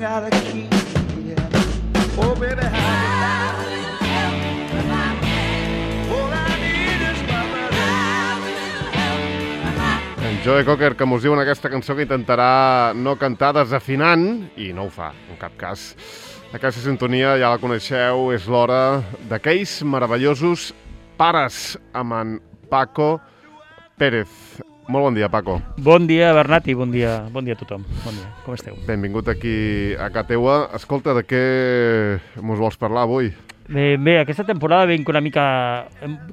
got a key. Yeah. Oh, baby, how En Joe Cocker, que mos diu en aquesta cançó que intentarà no cantar desafinant, i no ho fa, en cap cas. Aquesta sintonia ja la coneixeu, és l'hora d'aquells meravellosos pares amb en Paco Pérez. Molt bon dia, Paco. Bon dia, Bernat, i bon dia a tothom. Bon dia, com esteu? Benvingut aquí a casa teua. Escolta, de què mos vols parlar avui? Bé, aquesta temporada vinc una mica...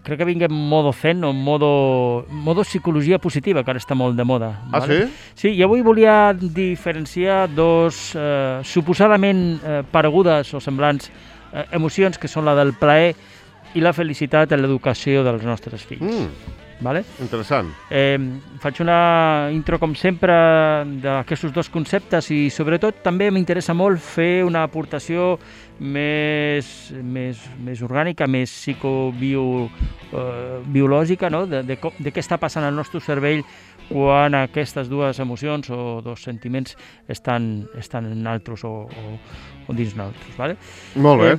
Crec que vinc en modo zen o en modo psicologia positiva, que ara està molt de moda. Ah, vale? sí? Sí, i avui volia diferenciar dos suposadament paregudes o semblants emocions, que són la del plaer i la felicitat en l'educació dels nostres fills. Vale? Interessant. Faig una intro, com sempre, d'aquests dos conceptes i, sobretot, també m'interessa molt fer una aportació més orgànica, més psicobiològica, no? de què està passant al nostre cervell quan aquestes dues emocions o dos sentiments estan en altres o dins nosaltres. Vale? Molt bé.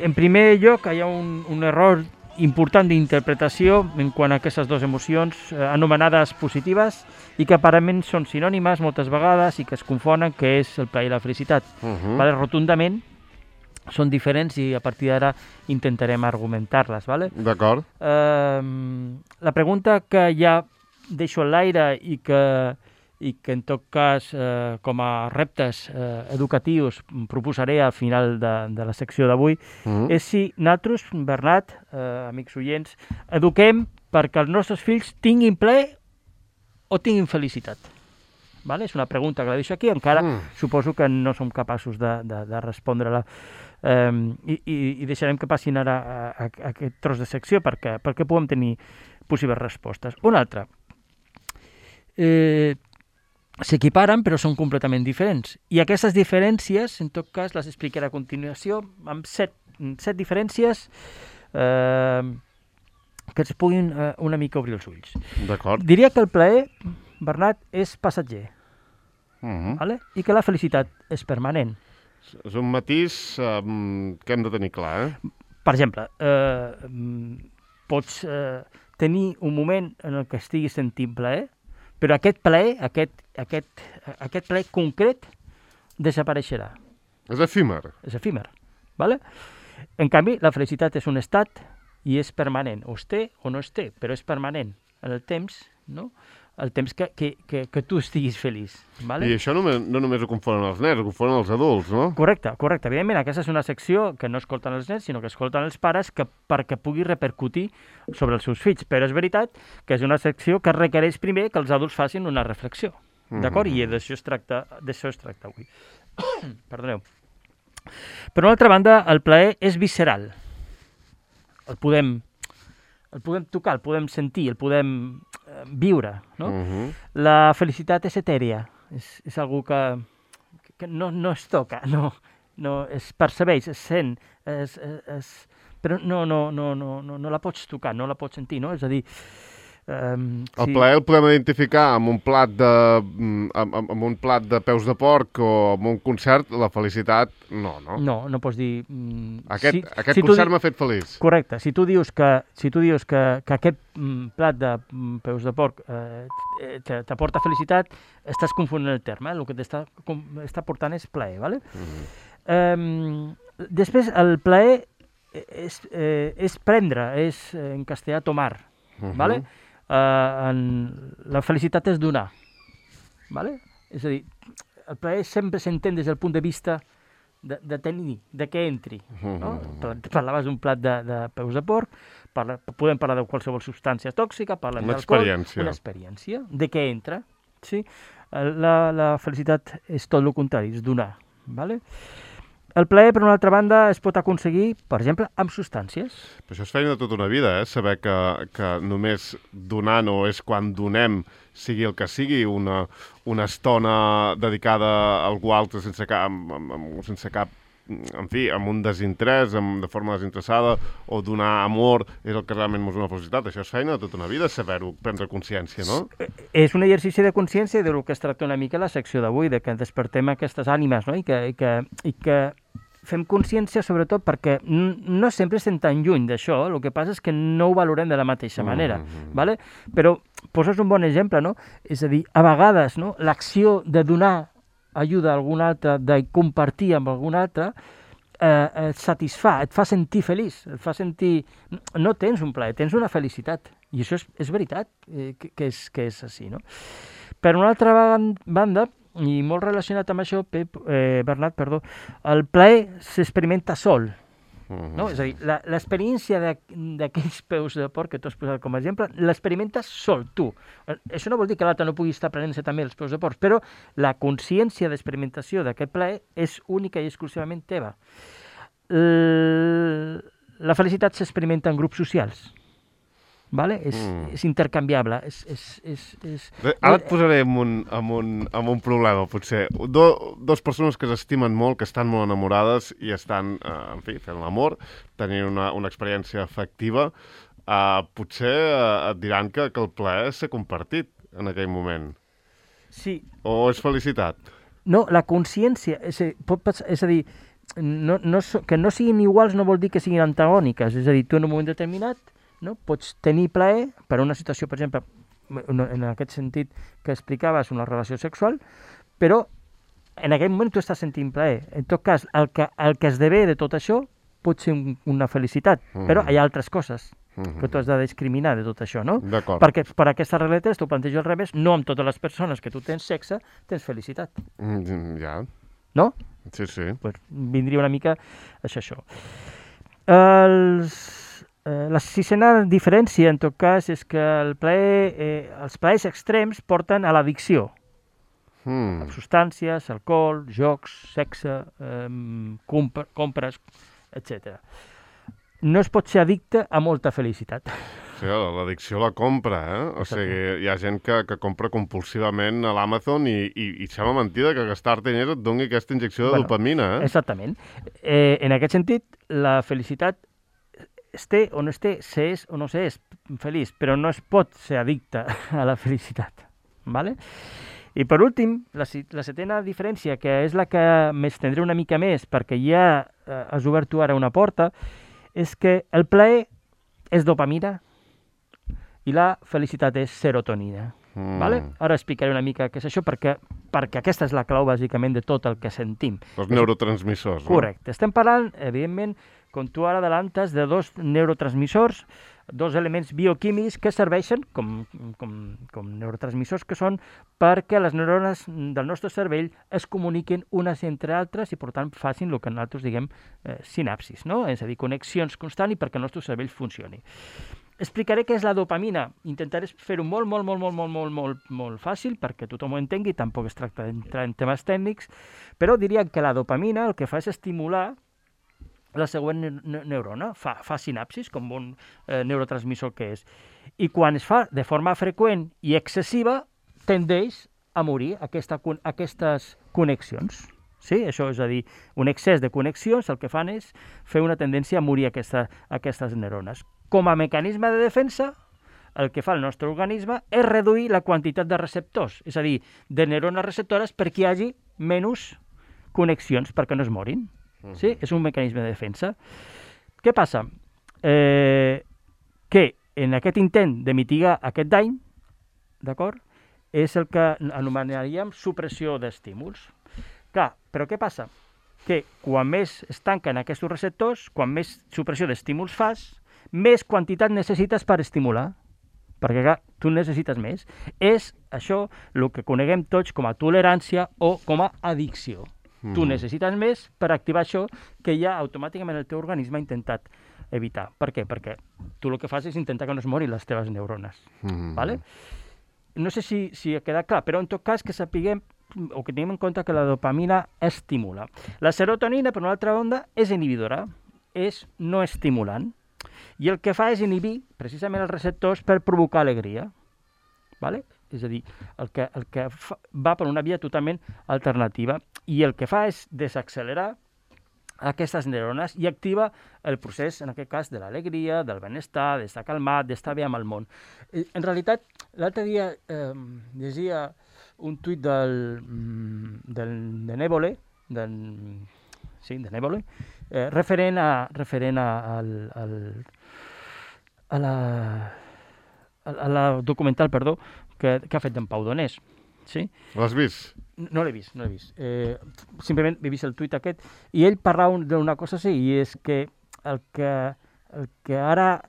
En primer lloc, hi ha un error important d'interpretació en quant a aquestes dues emocions anomenades positives i que aparentment són sinònimes moltes vegades i que es confonen, que és el plaer i la felicitat. Vale? Rotundament són diferents i a partir d'ara intentarem argumentar-les. Vale? D'acord. La pregunta que ja deixo en l'aire i que en tot cas com a reptes educatius proposaré al final de la secció d'avui és si nosaltres, Bernat, amics oients, eduquem perquè els nostres fills tinguin plaer o tinguin felicitat. Vale? És una pregunta que la deixo aquí, encara suposo que no som capaços de respondre-la i deixarem que passin ara a aquest tros de secció perquè puguem tenir possibles respostes. Una altra. S'equiparen, però són completament diferents. I aquestes diferències, en tot cas, les explicaré a continuació amb set diferències que ens puguin una mica obrir els ulls. D'acord. Diria que el plaer, Bernat, és passatger, vale? I que la felicitat és permanent. És un matís que hem de tenir clar, Per exemple, pots tenir un moment en el que estiguis sentint plaer, però aquest plaer concret desapareixerà. És efímer. És efímer. Vale? En canvi, la felicitat és un estat i és permanent. O es té o no es té, però és permanent en el temps, no? El temps que tu estiguis feliç. Vale? I això no només ho confonen els nens, ho confonen els adults, no? Correcte. Evidentment, aquesta és una secció que no escolten els nens, sinó que escolten els pares perquè pugui repercutir sobre els seus fills. Però és veritat que és una secció que requereix primer que els adults facin una reflexió. D'acord? I d'això es tracta avui. Perdoneu. Per una altra banda, el plaer és visceral. El podem tocar, el podem sentir, el podem viure, no? La felicitat és etèria, és algú que no es toca, no es percebeix, es sent, però no la pots tocar, no la pots sentir, no? És a dir... El plaer el podem identificar amb un plat de peus de porc o amb un concert, la felicitat no. No pots dir... Aquest concert m'ha fet feliç. Correcte. Si tu dius que aquest plat de peus de porc t'aporta felicitat, estàs confonent el terme. El que t'està portant és plaer, ¿vale? Després, el plaer és prendre, és en castellà tomar, ¿vale? La felicitat és donar, ¿vale? És a dir, el plaer sempre s'entén des del punt de vista de tenir, de que entri, no? Parlaves d'un plat de peus de porc, podem parlar de qualsevol substància tòxica, parlem d'alcohol, una experiència, de què entra, sí? La felicitat és tot el contrari, és donar, ¿vale? El plaer, per una altra banda, es pot aconseguir, per exemple, amb substàncies. Però això és feina de tota una vida, saber que només donant o és quan donem, sigui el que sigui, una estona dedicada a algú altre sense cap en fi, amb un desinterès, de forma desinteressada, o donar amor, és el que realment mos dona felicitat. Això és feina de tota una vida, saber-ho, prendre consciència, no? És un exercici de consciència del que es tracta una mica la secció d'avui, de que despertem aquestes ànimes, no? I que fem consciència, sobretot, perquè no sempre estem tan lluny d'això, el que passa és que no ho valorem de la mateixa manera, ¿vale? Però poses un bon exemple, no? És a dir, a vegades, no? L'acció de donar ajuda a algun altre, de compartir amb algun altre, et satisfà, et fa sentir feliç, et fa sentir... No tens un plaer, tens una felicitat. I això és veritat, que és així, no? Per una altra banda, i molt relacionat amb això, Bernat, el plaer s'experimenta sol. No? És a dir, l'experiència d'aquells peus de porc que tu has posat com a exemple, l'experimentes sol, tu. Això no vol dir que l'altre no pugui estar prenent-se també els peus de porc, però la consciència d'experimentació d'aquest plaer és única i exclusivament teva. La felicitat s'experimenta en grups socials. Vale? És intercanviable. Ara et posaré amb un problema, potser. Dos persones que s'estimen molt, que estan molt enamorades i estan, en fi, fent l'amor, tenint una experiència afectiva, potser et diran que el plaer s'ha compartit en aquell moment. Sí. O és felicitat? No, la consciència, és a dir, que no siguin iguals no vol dir que siguin antagòniques. És a dir, tu en un moment determinat no? Pots tenir plaer per una situació, per exemple, en aquest sentit que explicaves, una relació sexual, però en aquell moment tu estàs sentint plaer. En tot cas, el que esdevé de tot això pot ser una felicitat, però hi ha altres coses que tu has de discriminar de tot això, no? D'acord. Perquè per aquesta regla 3 t'ho plantejo al revés, no amb totes les persones que tu tens sexe, tens felicitat. Ja. No? Sí, sí. Pues vindria una mica això. La sisena diferència, en tot cas, és que els plaers extrems porten a l'addicció. Substàncies, alcohol, jocs, sexe, compres, etc. No es pot ser addicte a molta felicitat. Sí, l'addicció a la compra, eh? O sigui, hi ha gent que compra compulsivament a l'Amazon i sembla mentida que gastar diners et doni aquesta injecció de dopamina, eh? Exactament. En aquest sentit, la felicitat es té o no es té, s'és o no s'és feliç, però no es pot ser addicte a la felicitat. ¿Vale? I per últim, la setena diferència, que és la que m'estendré una mica més, perquè ja has obert tu ara una porta, és que el plaer és dopamina i la felicitat és serotonina. Vale? Ara explicaré una mica què és això, perquè aquesta és la clau, bàsicament, de tot el que sentim. Els neurotransmissors, no? Correcte. Estem parlant, evidentment, com tu ara adelantes, de dos neurotransmissors, dos elements bioquímics que serveixen com neurotransmissors que són perquè les neurones del nostre cervell es comuniquin unes entre altres i, per tant, facin el que nosaltres diguem sinapsis, no? És a dir, connexions constants i perquè el nostre cervell funcioni. Explicaré què és la dopamina. Intentaré fer-ho molt fàcil perquè tothom ho entengui, tampoc es tracta d'entrar en temes tècnics, però diria que la dopamina el que fa és estimular la següent neurona, fa sinapsis, com un neurotransmissor que és. I quan es fa de forma freqüent i excessiva, tendeix a morir aquestes connexions. Sí? Això és a dir, un excés de connexions el que fan és fer una tendència a morir aquestes neurones. Com a mecanisme de defensa, el que fa el nostre organisme és reduir la quantitat de receptors, és a dir, de neurones receptores perquè hi hagi menys connexions perquè no es morin. Sí? És un mecanisme de defensa. Què passa? Que en aquest intent de mitigar aquest dany, d'acord, és el que anomenaríem supressió d'estímuls. Clar, però què passa? Que quan més es tanquen aquests receptors, quan més supressió d'estímuls fas, més quantitat necessites per estimular. Perquè, clar, tu necessites més. És això el que coneguem tots com a tolerància o com a addicció. Tu necessites més per activar això que ja automàticament el teu organisme ha intentat evitar. Per què? Perquè tu el que fas és intentar que no es morin les teves neurones. Vale? No sé si ha quedat clar, però en tot cas que sapiguem o que tinguem en compte que la dopamina estimula. La serotonina, per una altra banda, és inhibidora, és no estimulant, i el que fa és inhibir precisament els receptors per provocar alegria. Vale? És a dir, el que va per una via totalment alternativa i el que fa és desaccelerar aquestes neurones i activa el procés, en aquest cas, de l'alegria, del benestar, d'estar calmat, d'estar bé amb el món. En realitat, l'altre dia llegia un tuit de Névole, de Névole, referent a la documental, perdó, que ha fet d'en Pau Donés. Sí? L'has vist? No l'he vist. Simplement he vist el tuit aquest i ell parlava d'una cosa així, i és que el que ara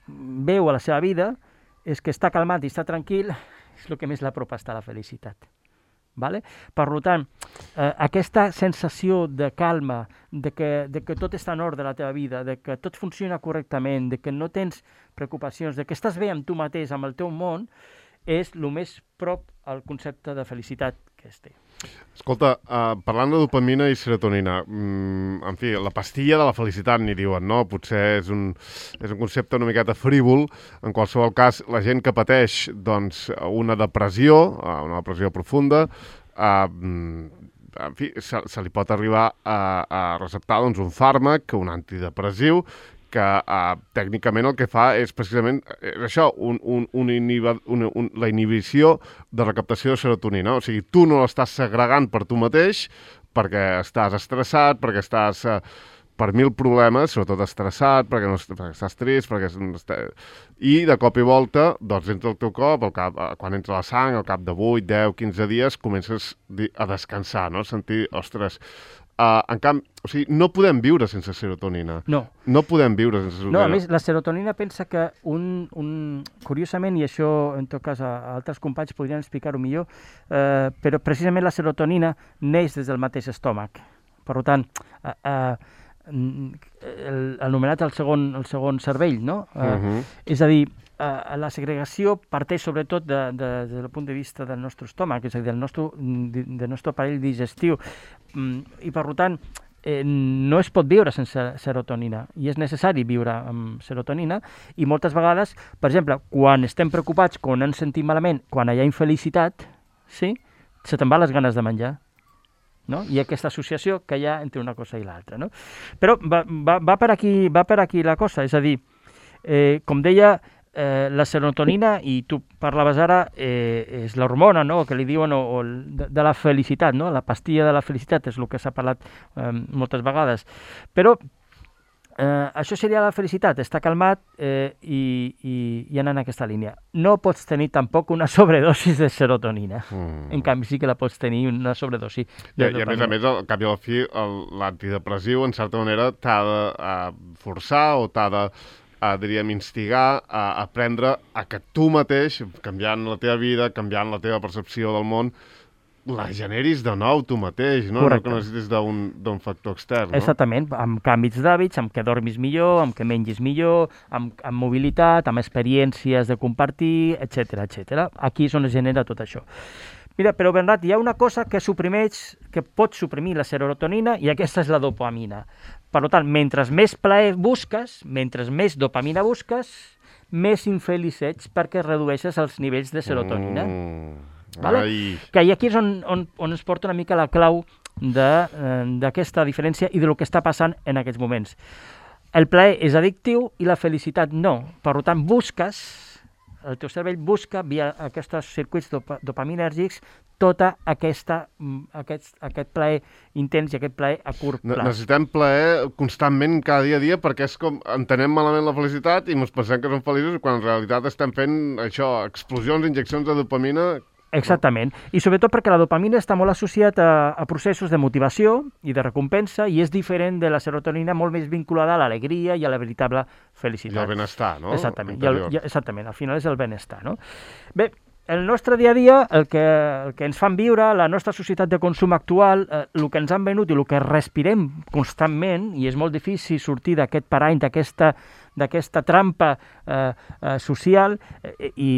veu a la seva vida és que està calmat i està tranquil és el que més l'apropa a la felicitat. Vale? Per tant, aquesta sensació de calma, de que tot està en ordre a la teva vida, de que tot funciona correctament, de que no tens preocupacions, de que estàs bé amb tu mateix, amb el teu món, és el més prop al concepte de felicitat que es té. Escolta, parlant de dopamina i serotonina, en fi, la pastilla de la felicitat, n'hi diuen, no? Potser és un concepte una miqueta frívol. En qualsevol cas, la gent que pateix doncs, una depressió profunda, en fi, se li pot arribar a receptar doncs, un fàrmac, un antidepressiu, que tècnicament el que fa és precisament això, la inhibició de recaptació de serotonina. O sigui, tu no l'estàs segregant per tu mateix perquè estàs estressat, perquè estàs per mil problemes, sobretot estressat, perquè estàs trist, i de cop i volta, doncs entra el teu cop, quan entra la sang, al cap de 8, 10, 15 dies, comences a descansar, no? Sentir, ostres... en canvi, o sigui, no podem viure sense serotonina. No. No podem viure sense serotonina. No, a més, la serotonina pensa que curiosament, i això en tot cas altres companys podrien explicar-ho millor, però precisament la serotonina neix des del mateix estómac. Per tant, anomenat el segon cervell, no? És a dir, la segregació parteix sobretot des del punt de vista del nostre estómac, és a dir, del nostre aparell digestiu, i per tant no es pot viure sense serotonina, i és necessari viure amb serotonina, i moltes vegades, per exemple, quan estem preocupats, quan ens sentim malament, quan hi ha infelicitat, sí? Se te'n van les ganes de menjar. No? Hi ha aquesta associació que hi ha entre una cosa i l'altra. No? Però va per aquí la cosa, és a dir, com deia, la serotonina, i tu parlaves ara, és l'hormona, no? Que li diuen de la felicitat, no? La pastilla de la felicitat és el que s'ha parlat moltes vegades. Però això seria la felicitat, estar calmat i anar en aquesta línia. No pots tenir tampoc una sobredosi de serotonina. En canvi, sí que la pots tenir una sobredosi de dopamina. I a més, al cap i a la fi, l'antidepressiu, en certa manera, t'ha de forçar o t'ha de diríem, instigar a aprendre a que tu mateix, canviant la teva vida, canviant la teva percepció del món, la generis de nou tu mateix, no? Correcte. No que necessitis d'un factor extern, no? Exactament, amb canvis d'hàbits, amb que dormis millor, amb que mengis millor, amb mobilitat, amb experiències de compartir, etc. Aquí és on es genera tot això. Mira, però Bernat, hi ha una cosa que pot suprimir la serotonina, i aquesta és la dopamina. Per tant, mentre més plaer busques, mentre més dopamina busques, més infeliç ets perquè redueixes els nivells de serotonina. Vale? Que aquí és on ens porta una mica la clau d'aquesta diferència i del que està passant en aquests moments. El plaer és addictiu i la felicitat no. Per tant, el teu cervell busca, via aquests circuits dopaminèrgics, tot aquest plaer intens i aquest plaer a curt plaç. Necessitem plaer constantment cada dia perquè és com entenem malament la felicitat i ens pensem que som feliços quan en realitat estem fent això, explosions, injeccions de dopamina. Exactament, i sobretot perquè la dopamina està molt associat a processos de motivació i de recompensa, i és diferent de la serotonina, molt més vinculada a l'alegria i a la veritable felicitat. I al benestar, no? Exactament, exactament, al final és el benestar, no? Bé, el nostre dia a dia, el que ens fan viure, la nostra societat de consum actual, el que ens han venut i el que respirem constantment, i és molt difícil sortir d'aquest parany, d'aquesta trampa social, i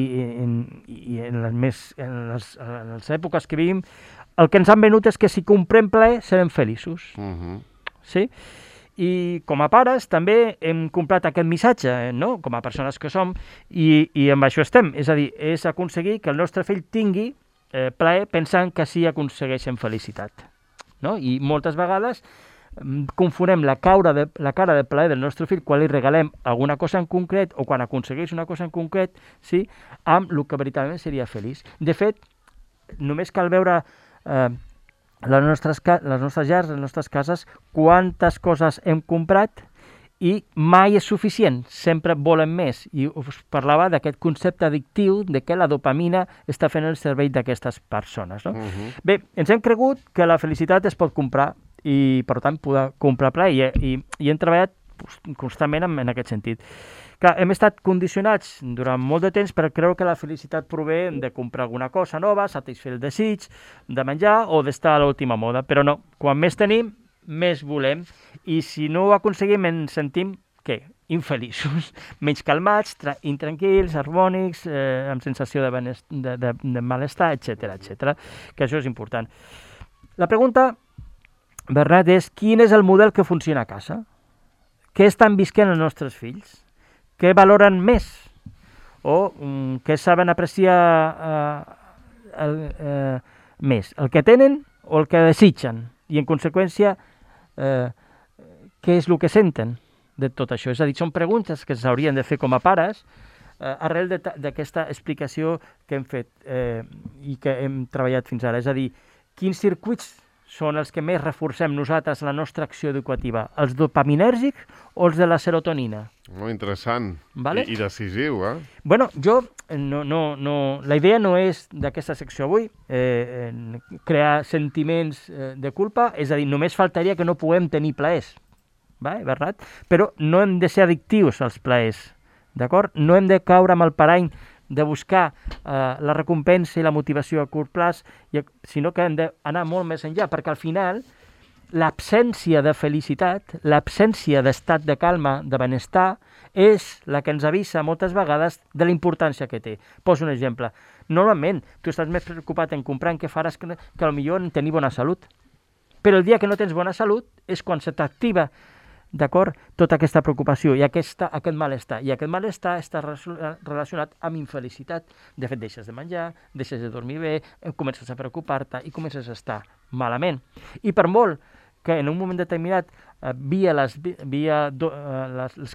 en les èpoques que vivim, el que ens han venut és que si comprem plaer serem feliços. Sí? I com a pares també hem comprat aquest missatge, no? Com a persones que som, i amb això estem. És a dir, és aconseguir que el nostre fill tingui plaer pensant que sí aconsegueixen felicitat. No? I moltes vegades confonem la cara de plaer del nostre fill quan li regalem alguna cosa en concret o quan aconsegueix una cosa en concret, sí, amb el que veritablement seria feliç. De fet, només cal veure les nostres llars, les nostres cases, quantes coses hem comprat i mai és suficient, sempre volen més. I us parlava d'aquest concepte addictiu de que la dopamina està fent el servei d'aquestes persones. No? Bé, ens hem cregut que la felicitat es pot comprar i, per tant, poder comprar plaer i hem treballat constantment en aquest sentit. Clar, hem estat condicionats durant molt de temps per creure que la felicitat prové de comprar alguna cosa nova, satisfer el desig de menjar o d'estar a l'última moda, però no, quan més tenim, més volem, i si no ho aconseguim ens sentim, què? Infeliços, menys calmats, intranquils, harmònics, amb sensació de malestar, etc. Que això és important. La pregunta, Bernat, és quin és el model que funciona a casa? Què estan visquent els nostres fills? Què valoren més? O què saben apreciar més? El que tenen o el que desitgen? I, en conseqüència, què és el que senten de tot això? És a dir, són preguntes que s'haurien de fer com a pares arrel d'aquesta explicació que hem fet i que hem treballat fins ara. És a dir, quins circuits són els que més reforcem nosaltres la nostra acció educativa? Els dopaminèrgics o els de la serotonina? Molt interessant. Vale? I decisiu, eh? Bueno, jo la idea no és d'aquesta secció avui crear sentiments de culpa, és a dir, només faltaria que no puguem tenir plaers, vale, Bernat? Però no hem de ser addictius als plaers, d'acord? No hem de caure amb el parany de buscar la recompensa i la motivació a curt plaç, sinó que hem d'anar molt més enllà, perquè al final l'absència de felicitat, l'absència d'estat de calma, de benestar, és la que ens avisa moltes vegades de la importància que té. Poso un exemple. Normalment, tu estàs més preocupat en comprar en què faràs que potser en tenir bona salut. Però el dia que no tens bona salut és quan se t'activa, d'acord, tota aquesta preocupació i aquest malestar. I aquest malestar està relacionat amb infelicitat. De fet, deixes de menjar, deixes de dormir bé, comences a preocupar-te i comences a estar malament. I per molt que en un moment determinat via els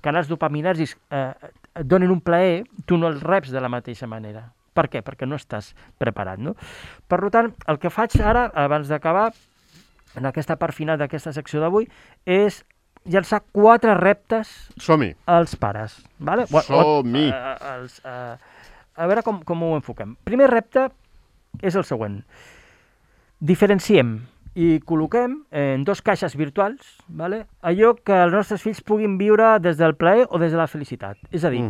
canals dopaminèrgics et donin un plaer, tu no els reps de la mateixa manera. Per què? Perquè no estàs preparat, no? Per tant, el que faig ara, abans d'acabar, en aquesta part final d'aquesta secció d'avui, és llançar 4 reptes als pares. Vale? Som-hi! A veure com ho enfoquem. Primer repte és el següent. Diferenciem i col·loquem en 2 caixes virtuals, vale? Allò que els nostres fills puguin viure des del plaer o des de la felicitat. És a dir,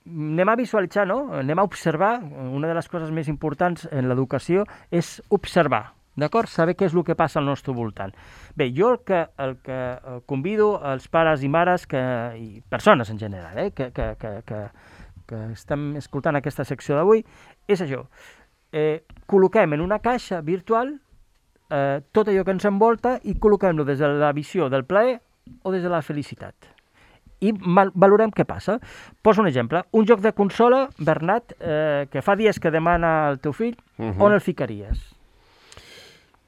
anem a visualitzar, no? Anem a observar. Una de les coses més importants en l'educació és observar. D'acord? Saber què és el que passa al nostre voltant. Bé, jo el que convido als pares i mares i persones en general que estem escoltant aquesta secció d'avui és això. Col·loquem en una caixa virtual tot allò que ens envolta i col·loquem-lo des de la visió del plaer o des de la felicitat. I valorem què passa. Poso un exemple. Un joc de consola, Bernat, que fa dies que demana el teu fill, on el ficaries?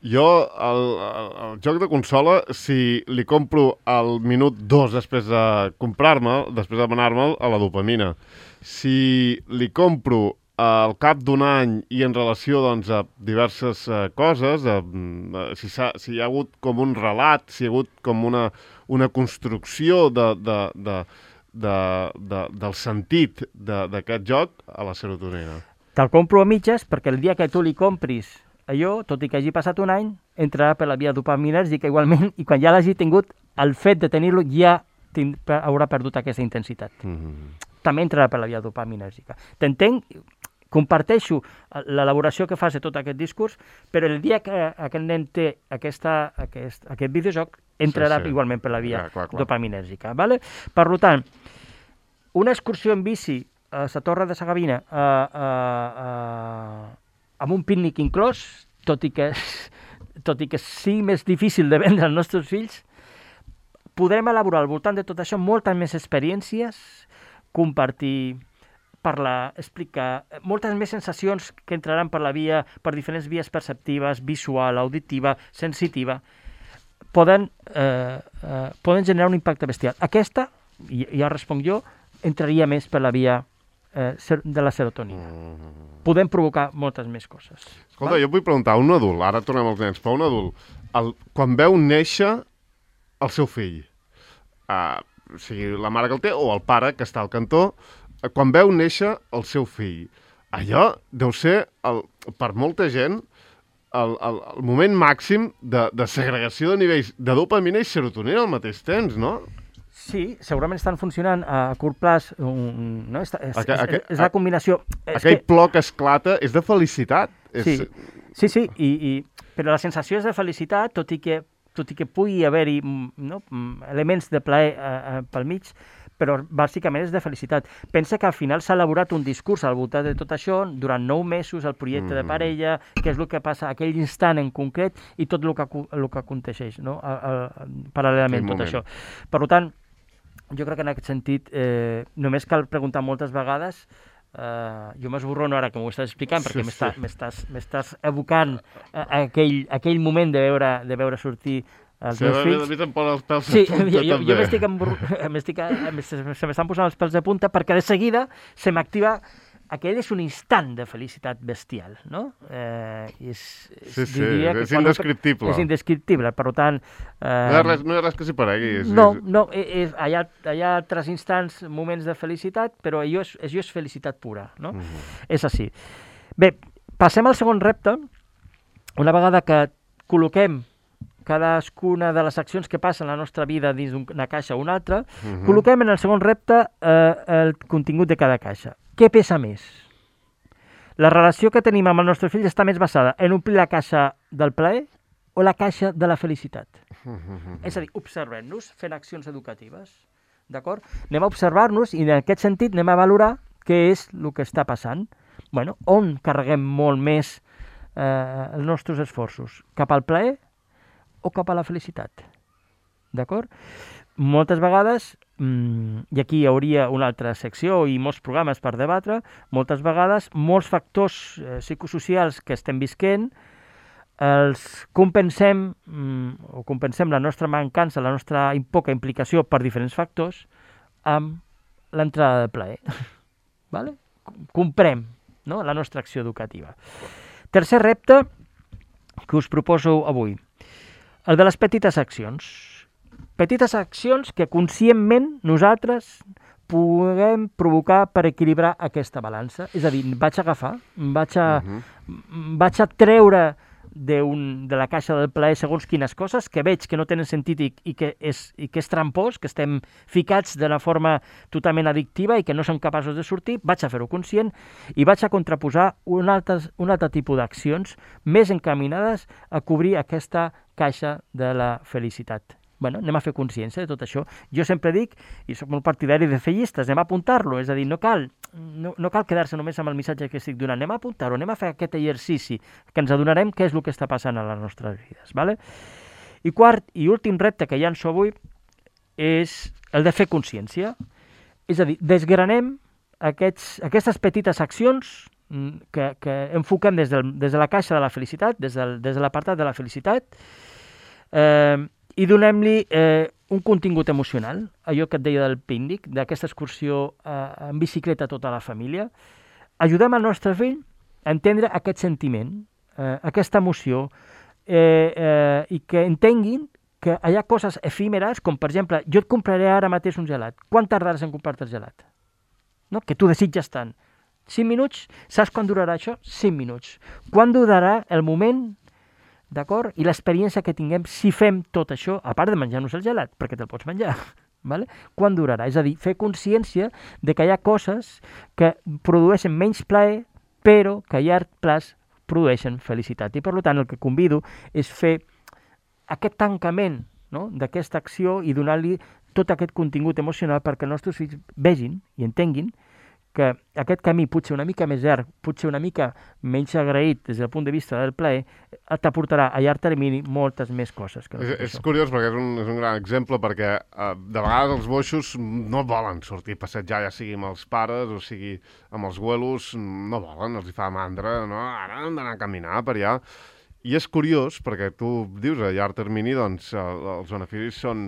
Jo, el joc de consola, si li compro al minut 2 després de comprar-me'l, després de demanar-me'l, a la dopamina. Si li compro al cap d'un any i en relació doncs, a diverses coses, si hi ha hagut com un relat, si hi ha hagut com una construcció del sentit d'aquest joc, a la serotonina. Te'l compro a mitges perquè el dia que tu li compris allò, tot i que hagi passat un any, entrarà per la via dopaminèrgica igualment i quan ja l'hagi tingut, el fet de tenir-lo ja haurà perdut aquesta intensitat. També entrarà per la via dopaminèrgica. T'entenc? Comparteixo l'elaboració que fas de tot aquest discurs, però el dia que aquest nen té aquest videojoc, entrarà igualment per la via dopaminèrgica. Vale? Per tant, una excursió en bici a la Torre de Sagavina amb un pícnic inclòs, tot i que sigui més difícil de vendre als nostres fills, podrem elaborar al voltant de tot això moltes més experiències, compartir, parlar, explicar, moltes més sensacions que entraran per diferents vies perceptives, visual, auditiva, sensitiva, poden generar un impacte bestial. Aquesta, i ja responc jo, entraria més per la via de la serotonina. Podem provocar moltes més coses. Escolta, jo et vull preguntar, un adult, ara tornem als nens, però un adult, quan veu néixer el seu fill, o sigui, la mare que el té o el pare que està al cantó, quan veu néixer el seu fill, allò deu ser, per molta gent, el moment màxim de segregació de nivells de dopamina i serotonina al mateix temps, no? Sí, segurament estan funcionant a curt plaç. No? És la combinació... Aquell plor que esclata és de felicitat. Sí, però la sensació és de felicitat, tot i que pugui haver-hi elements de plaer pel mig, però bàsicament és de felicitat. Pensa que al final s'ha elaborat un discurs al voltant de tot això durant 9 mesos, el projecte de parella, què és el que passa aquell instant en concret i tot el que aconteixeix, no? Paral·lelament tot això. Per tant, jo crec que en aquest sentit només cal preguntar moltes vegades. Jo m'esborrono ara que m'ho estàs explicant perquè m'estàs evocant aquell moment de veure sortir els meus fills. A mi te'n ponen els pèls de punta, també. Se m'estan posant els pèls de punta perquè de seguida se m'activa... Aquell és un instant de felicitat bestial, no? És indescriptible. És indescriptible, per tant... No hi ha res que s'hi paregui. No, hi ha altres instants, moments de felicitat, però allò és felicitat pura, no? És així. Bé, passem al segon repte. Una vegada que col·loquem cadascuna de les accions que passen a la nostra vida dins d'una caixa o una altra, col·loquem en el segon repte el contingut de cada caixa. Què pesa més? La relació que tenim amb el nostre fill està més basada en omplir la caixa del plaer o la caixa de la felicitat? És a dir, observem-nos fent accions educatives, d'acord? Anem a observar-nos i en aquest sentit anem a valorar què és el que està passant. Bueno, on carreguem molt més els nostres esforços? Cap al plaer o cap a la felicitat? D'acord? Moltes vegades, i aquí hi hauria una altra secció i molts programes per debatre, moltes vegades molts factors psicosocials que estem visquent els compensem la nostra mancança, la nostra poca implicació per diferents factors amb l'entrada de plaer. Vale? Comprem, no? La nostra acció educativa. Tercer repte que us proposo avui, el de les petites accions. Petites accions que conscientment nosaltres puguem provocar per equilibrar aquesta balança. És a dir, vaig agafar, vaig a treure de la caixa del plaer segons quines coses que veig que no tenen sentit i que és trampós, que estem ficats d'una forma totalment addictiva i que no som capaços de sortir, vaig a fer-ho conscient i vaig a contraposar un altre tipus d'accions més encaminades a cobrir aquesta caixa de la felicitat. Bueno, anem a fer consciència de tot això. Jo sempre dic, i soc molt partidari de fer llistes, anem a apuntar-lo, és a dir, no cal quedar-se només amb el missatge que estic donant, anem a apuntar-ho, anem a fer aquest exercici, que ens adonarem què és el que està passant a les nostres vides. Vale? I quart i últim repte que llanço avui és el de fer consciència. És a dir, desgranem aquestes petites accions que enfoquem des de la caixa de la felicitat, des de l'apartat de la felicitat, i donem-li un contingut emocional, allò que et deia del pícnic, d'aquesta excursió en bicicleta a tota la família. Ajudem al nostre fill a entendre aquest sentiment, aquesta emoció, i que entenguin que hi ha coses efímeres, com per exemple, jo et compraré ara mateix un gelat. Quan tardaràs en comprar-te el gelat? No? Que tu desitges tant. 5 minuts? Saps quan durarà això? 5 minuts. Quan durarà el moment, d'acord? I l'experiència que tinguem si fem tot això, a part de menjar-nos el gelat, perquè te'l pots menjar, vale? Quan durarà? És a dir, fer consciència de que hi ha coses que produeixen menys plaer, però que a llarg plaç produeixen felicitat. I per tant el que convido és fer aquest tancament, no?, d'aquesta acció i donar-li tot aquest contingut emocional perquè els nostres fills vegin i entenguin que aquest camí potser una mica més llarg, potser una mica menys agraït des del punt de vista del plaer, t'aportarà a llarg termini moltes més coses. És curiós perquè és un gran exemple perquè de vegades els boixos no volen sortir a passejar, ja sigui amb els pares o sigui amb els abuelos, no volen, els hi fa mandra, no? Ara hem d'anar a caminar per allà. I és curiós, perquè tu dius a llarg termini, doncs, els beneficis són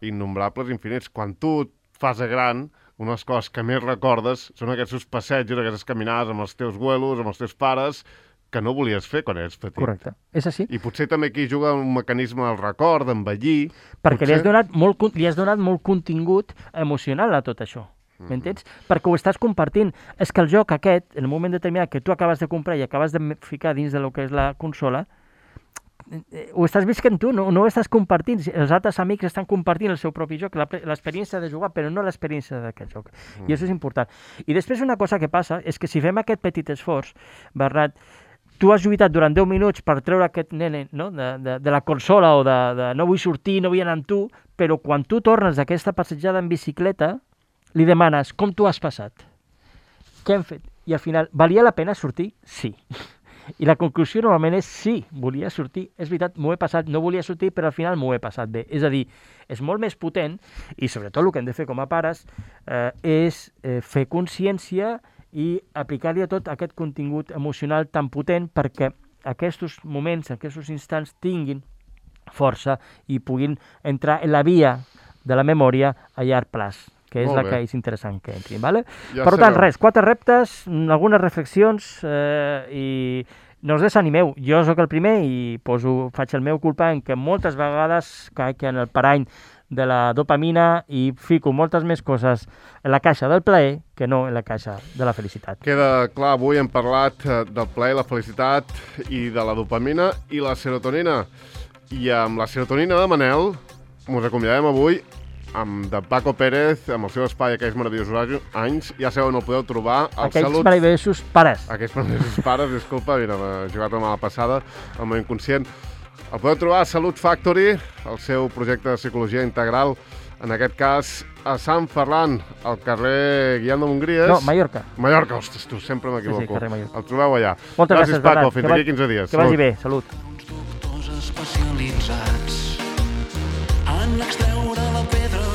innombrables, infinits. Quan tu et fas gran, una de les coses que més recordes són aquests passejos, aquestes caminades amb els teus abuelos, amb els teus pares, que no volies fer quan eres petit. Correcte, és així. I potser també aquí juga un mecanisme del record, d'envellir... Perquè li has donat molt contingut emocional a tot això. M'entens? Perquè ho estàs compartint. És que el joc aquest, en un moment determinat que tu acabes de comprar i acabes de ficar dins de lo que és la consola, ho estàs visquent tu, no ho estàs compartint. Els altres amics estan compartint el seu propi joc, l'experiència de jugar, però no l'experiència d'aquest joc. I això és important. I després una cosa que passa és que si fem aquest petit esforç, Bernat, tu has lluitat durant 10 minuts per treure aquest nene, no? de la consola o de no vull sortir, no vull anar amb tu, però quan tu tornes d'aquesta passejada en bicicleta, li demanes com tu has passat, què hem fet? I al final, valia la pena sortir? Sí. I la conclusió normalment és sí, volia sortir, és veritat, m'ho he passat, no volia sortir, però al final m'ho he passat bé. És a dir, és molt més potent, i sobretot el que hem de fer com a pares és fer consciència i aplicar-li a tot aquest contingut emocional tan potent perquè aquests moments, aquests instants tinguin força i puguin entrar en la via de la memòria a llarg plaç, que és la que és interessant que entrin. Vale? Ja per tant, res, 4 reptes, algunes reflexions i no us desanimeu. Jo sóc el primer i faig el meu culpa en que moltes vegades caic en el parany de la dopamina i fico moltes més coses en la caixa del plaer que no en la caixa de la felicitat. Queda clar, avui hem parlat del plaer, la felicitat i de la dopamina i la serotonina. I amb la serotonina de Manel ens acomiadem avui amb de Paco Pérez, amb el seu espai Aquells meravellosos anys. Ja sabeu on el podeu trobar. Aquells meravellosos pares. Aquells meravellosos pares, disculpa, mira, m'he jugat una mala passada, el meu inconscient. El podeu trobar a Salut Factory, el seu projecte de psicologia integral, en aquest cas a Sant Ferran, al carrer Guillem de Montgries. No, Mallorca. Mallorca, ostres, tu sempre m'equivoco. Sí, carrer Mallorca. El trobeu allà. Moltes gràcies, Paco. Bernat. Fins aquí 15 dies. Que vagi bé. Salut. Doctors especialitzats en extreure la pedra